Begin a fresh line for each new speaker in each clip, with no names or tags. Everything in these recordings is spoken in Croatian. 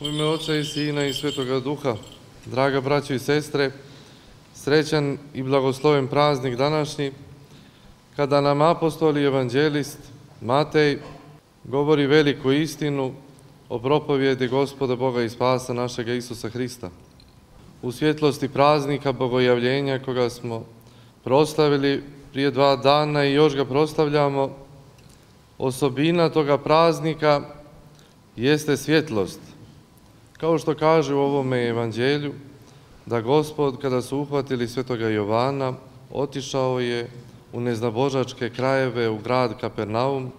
U ime Oca i Sina i Svetoga Duha, draga braćo i sestre, srećan i blagosloven praznik današnji, kada nam apostol i evanđelist Matej govori veliku istinu o propovjedi Gospoda Boga i spasa našega Isusa Hrista. U svjetlosti praznika Bogojavljenja koga smo proslavili prije 2 dana i još ga proslavljamo, osobina toga praznika jeste svjetlost. Kao što kaže u ovome evanđelju, da Gospod, kada su uhvatili svetoga Jovana, otišao je u neznabožačke krajeve, u grad Kapernaum,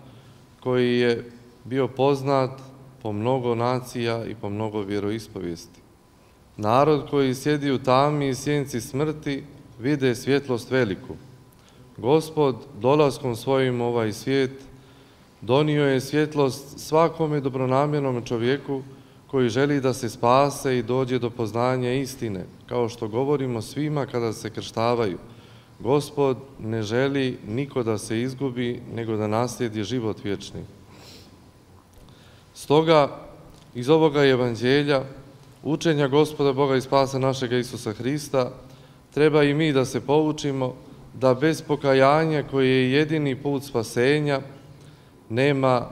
koji je bio poznat po mnogo nacija i po mnogo vjeroispovijesti. Narod koji sjedi u tami i sjenci smrti, vide svjetlost veliku. Gospod, dolaskom svojim u ovaj svijet, donio je svjetlost svakome dobronamjernom čovjeku koji želi da se spase i dođe do poznanja istine, kao što govorimo svima kada se krštavaju. Gospod ne želi niko da se izgubi, nego da naslijedi život vječni. Stoga, iz ovoga evanđelja, učenja Gospoda Boga i spasa našega Isusa Hrista, treba i mi da se poučimo da bez pokajanja, koje je jedini put spasenja, nema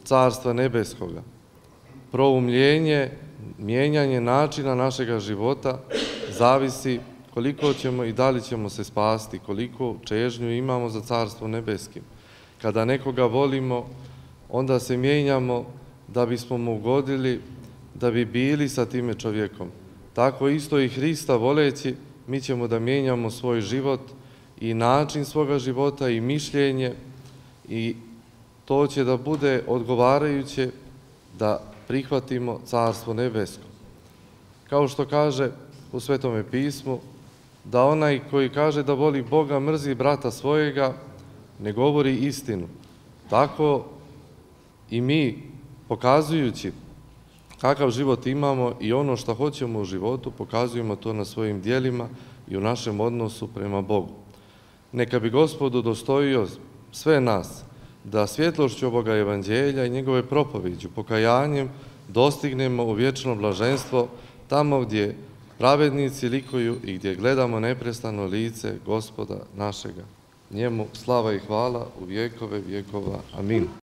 Carstva nebeskoga. Proumljenje, mijenjanje načina našega života zavisi koliko ćemo i da li ćemo se spasti, koliko čežnju imamo za Carstvo nebeskim. Kada nekoga volimo, onda se mijenjamo da bismo mu ugodili, da bi bili sa time čovjekom. Tako isto i Hrista voleći, mi ćemo da mijenjamo svoj život i način svoga života i mišljenje, i to će da bude odgovarajuće da prihvatimo Carstvo nebesko. Kao što kaže u Svetome pismu, da onaj koji kaže da voli Boga mrzi brata svojega, ne govori istinu. Tako i mi, pokazujući kakav život imamo i ono što hoćemo u životu, pokazujemo to na svojim djelima i u našem odnosu prema Bogu. Neka bi Gospod udostojio sve nas da svjetlošću ovoga evanđelja i njegove propoviđu, pokajanjem, dostignemo u vječno blaženstvo, tamo gdje pravednici likuju i gdje gledamo neprestano lice Gospoda našega. Njemu slava i hvala u vjekove vjekova. Amin.